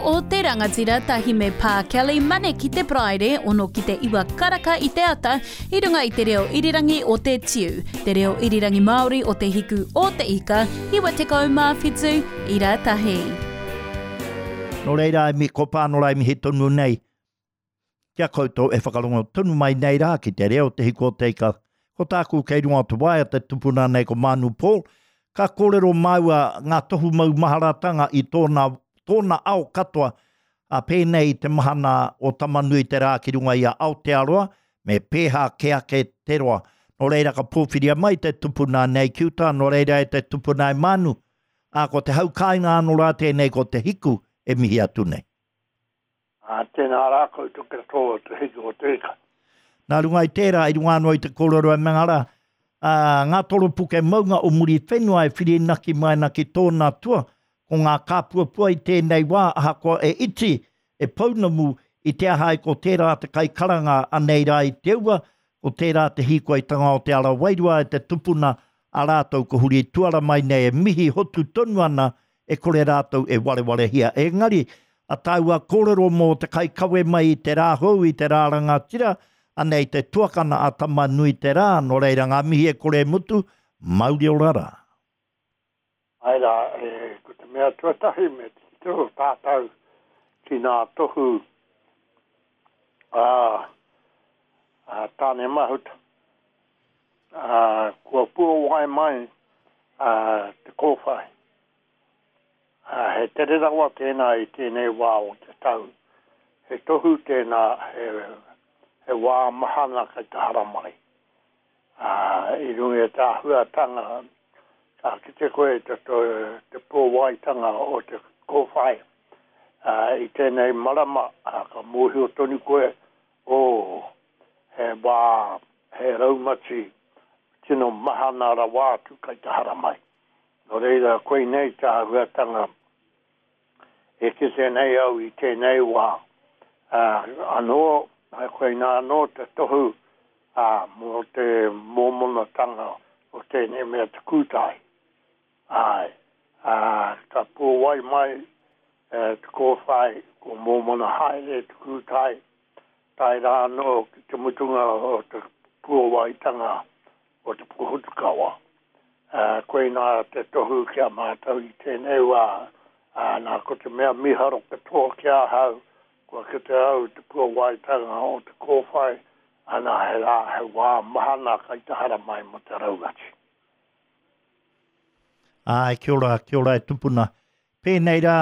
o te Rangatira tahi me Pā Kelly Mane ki te Paraire, ono ki te iwa karaka i te ata, i runga i te reo irirangi o te Tiu, te reo irirangi Māori o Te Hiku o Te Ika, 97 ira tahi. Nō reira, e mihi, ko Pānora e mihi tonu nei ki a koutou e whakarongo tonu mai nei rā ki te reo Te Hiku o Te Ika. Ko tāku kei runga o te waea te tupuna nei ko Mānu Paul, ka kōrero māua ngā tohu maumaharatanga i tōna, tōna ao katoa, ā, pēnei i te mahana o Tama-nui-te-rā ki runga i a Aotearoa, me pēhā kē ake te roa. Nō reira ka pōwhiria mai te tupuna nei ki uta, nō reira e te tupuna e Mānu, ā, ko te hau kāinga anō rā tēnei ko Te Hiku e mihi atu nei. Ā, tēnā rā koutou katoa o Te Hiku o Te Ika. Nā runga i tērā, i runga anō i te kōrero e mea rā, ā, ngā toropuke maunga o Muriwhenua e whirinaki mai ana ki tōna tua, ko ngā kāpuapua i tēnei wā, ahakoa e iti, e pounamu, i te aha ai ko tērā te kaikaranga anei rā i te ua, ko tērā te hīkoitanga o te ara wairua e te tupuna a rātou ko huri tuara mai nei e mihi hotu tonu ana e kore rātou e warewarehia. Engari, a tāua kōrero mō te kaikawe mai i te rā hou, i te rā rangatira, anei te tuakana a Tama-nui-te-rā, nō reira ngā mihi e kore e mutu, mauri ora rā. Āe rā, e, ko te mea tuatahi me titiro tātou ki ngā tohu a, a Tāne Mahuta. Ā, kua puawai mai a, te kōwhai. Ā, he tere rawa tēnā i tēnei wā o te tau. He tohu tēnā, he, he wā mahana kei te haramai. Ā, i runga i te āhuatanga, ka kite koe i te, te pōwaitanga o te kōwhai. Ā, i tēnei marama, ā, ka mōhio tonu koe, ō, he wā, he raumati tino mahana rawa atu kei te haramai. Nō reira, koinei te āhuatanga e kite nei au i tēnei wā. Ā, anō, koinā anō te tohu, ā, mō te mōmonatanga o tēnei mea te kūtai. Āe, ā, ka pōwai mai te kōwhai, kua mōmona haere te kūtai, tae rā anō ki te mutunga o te puawaitanga o te pohutukawa. Ā, koinā te tohu ki a mātou i tēnei wā, ā, nā, ko te mea mīharo katoa ki ahau, kua kite au i te puawaitanga o te kōwhai, ana, he rā, he wā mahana kai te haramai mō te raumati. Āe, kia ora, kia ora e tupuna. Pēnei rā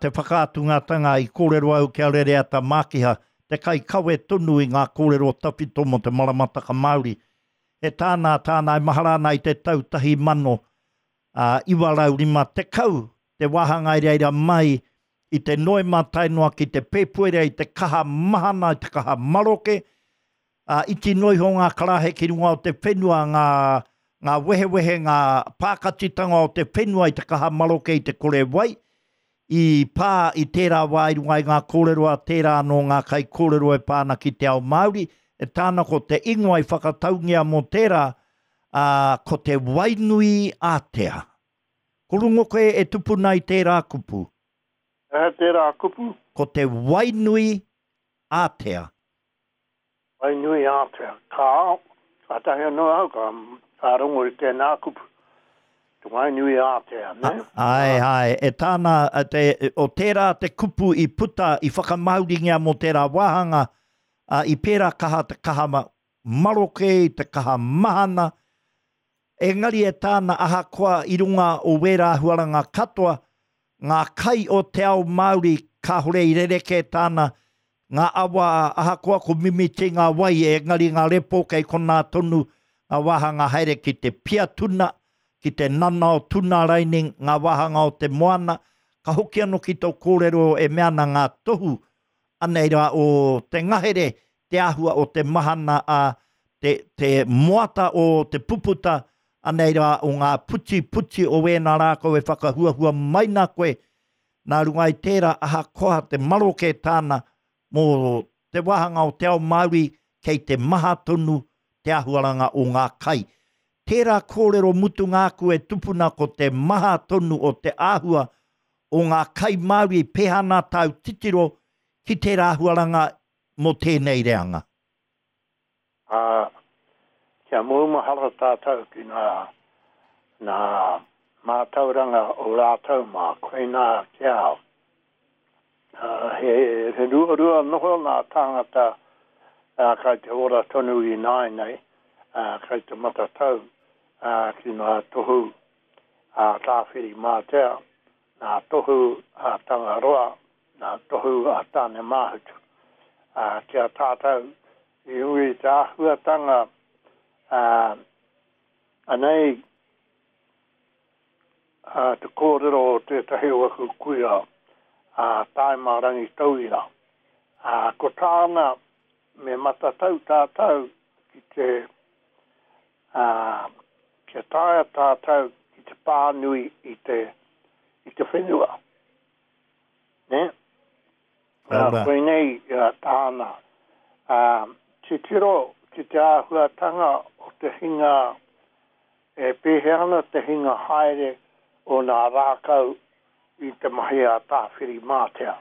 te whakaatungatanga i kōrero au ki a Rereata Mākiha, te kaikawe tonu i ngā kōrero tawhito mō te maramataka Māori. E tāna, tāna e mahara ana i te tau 1950, te wāhanga i reira mai i te Noema tae noa ki te Pēpuere i te kaha mahana, i te kaha maroke, Ā, iti noa iho ngā karaehe ki runga o te whenua, ngā, ngā wehewehe, ngā pākatitanga o te whenua i te kaha maroke i te kore wai, i pā i tērā wā i runga i ngā kōrero a tērā anō ngā kaikōrero e pā ana ki te ao Māori, e tāna ko te ingoa i whakataungia mō tērā, ā, ko te Wainui Ātea. Ko rongo koe e tupuna i tērā kupu? He aha tērā kupu? Ko te Wainui Ātea. Wainui ātea. Ka, kātahi anō au ka, ka rongo i tēnā kupu. Te wainui ātea, nē? Āe, āe. E tāna, te, o tērā te kupu i puta, i whakamāoringia mō tērā wāhanga, ā, i pērā kaha te kaha maroke, i te kaha mahana, Engari e tāna ahakoa i runga o wērā āhuaranga katoa, ngā kai o te ao Māori kāore i rerekē tāna, ngā awa ahakoa ko mimiti ngā wai engari ngā repo kei konā tonu ngā wāhanga haere ki te pia tuna, ki te nanao tuna raining, ngā wāhanga o te moana, ka hoki anō ki tō kōrero e mea ana ngā tohu Anei rā o te ngahere, te āhua o te mahana a te, te moata o te puputa, anei rā o ngā putiputi o wēnā rākau e whakahuahua mai nā koe, nā runga i tērā ahakoa te maroke tāna mō te wāhanga o te ao Māori kei te maha tonu te āhuaranga o ngā kai. Tērā kōrero mutunga aku e tupuna ko te maha tonu o te āhua. o ngā kai Māori, pēhea ana tāu titiro ki tērā āhuaranga mō tēnei reanga? Ā, kia maumahara tātou ki ngā, ngā mātauranga o rātou mā, koinā te ao. Ā, he, he ruarua noho ngā tāngata, ā, kai te ora tonu ināianei, ā, kai te matatau, ā, ki ngā tohu a Tāwhirimātea, ngā tohu a Tangaroa, ngā tohu a Tānemāhutu. Ā, ki a tātou, i runga i te āhuatanga, ā, anei, ā, te kōrero o tētahi o aku kuia, ā, Tāima Rangitauira. Ā, ko tāna, me matatau tātou ki te, ā, kia taea tātou ki te pānui i te, i te whenua. Nē? Ā, koinei tāna. Ā, titiro ki te āhuatanga o te hinga, e pēhea ana te hinga haere o nā rākau i te mahi a Tāwhirimātea.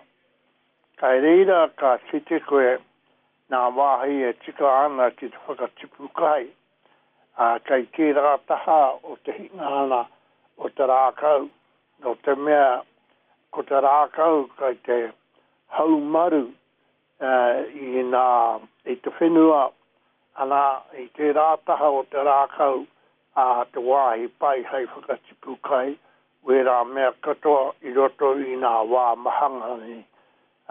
Kai reira ka kite koe nā wāhi e tika ana ki te whakatipu kai, ā, kei tērā taha o te hingana o te rākau, nō te mea ko te rākau kei te haumaru i nā, i te whenua, ana, i tērā taha o te rākau, ā, te wāhi pai hei whakatipu kai, wērā mea katoa i roto i nā wā mahanga nei.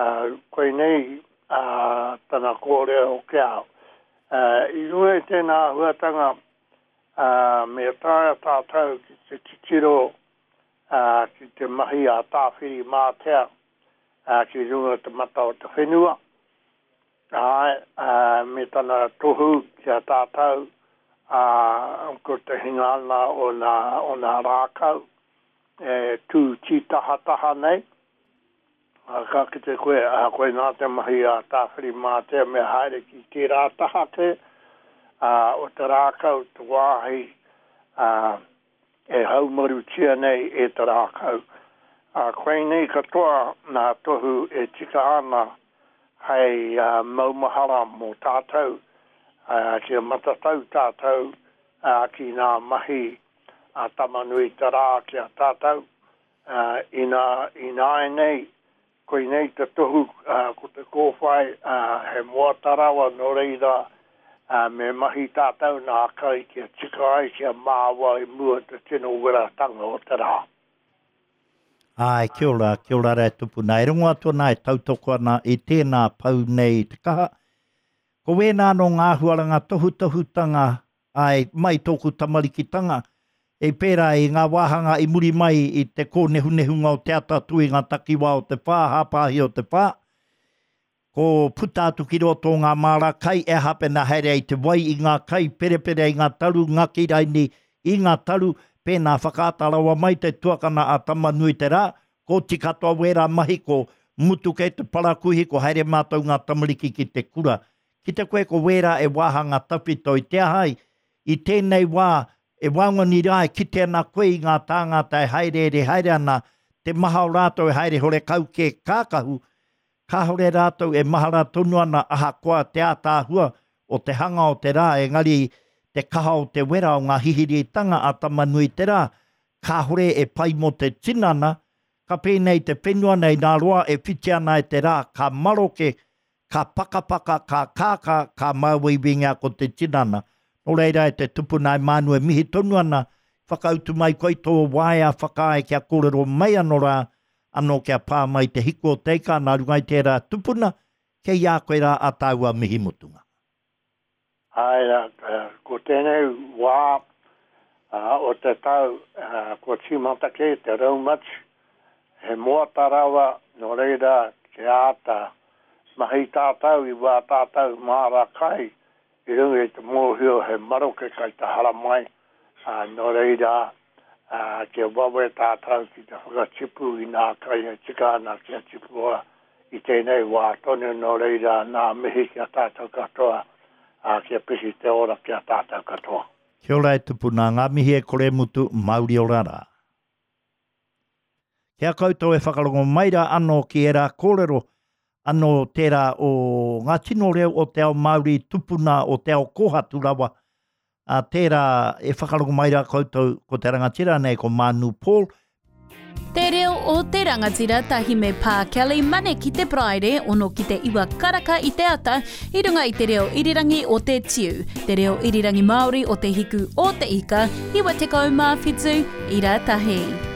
Ā, koinei ā, tana kōrero ki a au. Ā, i runga i tēnā āhuatanga, ā, me taea tātou ki te titiro, ā, ki te mahi a Tāwhirimātea, ā, ki runga te mata o te whenua, āe, ā, me tana tohu ki a tātou, ā, ko te hingana o nā, o nā rākau e tū tītahataha nei. Ā, ka kite koe, ā, koinā te mahi a Tāwhirimātea me haere ki tērā taha kē, ā, o te rākau, te wāhi, ā, e haumarutia nei e te rākau. Ā, koinei katoa ngā tohu e tika ana hei maumahara mō tātou, ā, kia matatau tātou, ā, ki ngā mahi a Tama-nui-te-rā ki a tātou, Ā, inā, ināianei, koinei te tohu, ā, ko te kōwhai, ā, he moata rawa, nō reira, ā, me mahi tātou nā kai kia tika ai, kia māua i mua te tino weratanga o te rā. Āe, kia ora, kia ora rā e tupuna. E rongo atu ana, e tautoko ana i tēnā pou nei i te kaha. Ko wēnā anō ngā āhuaranga tohutohutanga Āe, mai tōku tamarikitanga, i pērā i ngā wāhanga i muri mai i te kōnehunehunga o te ata atu i ngā takiwā o te whā, hāpāhi o te whā, ko puta atu ki roto o ngā māra kai e aha pēnā haere ai te wai i ngā kai, perepere ai ngā taru, ngaki raini i ngā taru, pēnā whakaata rawa mai te tuakana a Tama-nui-te-rā, ko oti katoa wērā mahi, ko mutu kei te parakuihi, ko haere mātou ngā tamariki ki te kura. Ki te koe ko wērā e wāhanga tawhito i te aha ai, i tēnei wā e waongani rā e kite ana koe i ngā tāngata e haereere haere ana, te maha o rātou e haere horekau kē kākahu, kāore rātou e mahara tonu ana ahakoa te ātaahua o te hanga o te rā engari te kaha o te wera o ngā hihiritanga a Tama-nui-te-rā kāore e pai mō te tinana, ka pēnei te whenua nei nā roa e whiti ana e te rā ka maroke ka pakapaka, ka kākā, ka māuiuingia ko te tinana. Nō reira e te tupuna e Mānu e mihi tonu ana, whakautu mai koe i tō waea whakaae kia kōrero mai anō rā, anō kia pā mai te hiku o te ika nā runga i tērā tupuna, kei a koe rā a tāua mihi mutunga. Āe rā, ko tēnei wā o te tau kua tīmata kē te raumati, he moata rawa, nō reira kia āta mahi tātou i wā tātou māra kai i runga i te mōhio he maroke kai te haramai, nō reira kia wawe tātou ki te whakatipu i nā kai e tika ana kia tipua i tēnei wā tonu, nō reira nā mihi ki a tātou katoa, ā, kia piki te ora ki a tātou katoa. Kia ora e tupuna, ngā mihi e kore mutu, mauri ora rā. Ki a koutou e whakarongo mai rā anō ki ērā kōrero, anō tērā o ngā tino reo o te ao Māori tupuna o te ao kōhatu rawa, ā, tērā e whakarongo mai rā koutou ko te rangatira nei ko Mānu Paul. Te reo o te rangatira tahi me Pā Kelly Mane ki te Paraire ono ki te iwa karaka i te ata i runga i te reo irirangi o te Tiu, te reo irirangi Māori o te hiku o te ika, 97 ira tahi.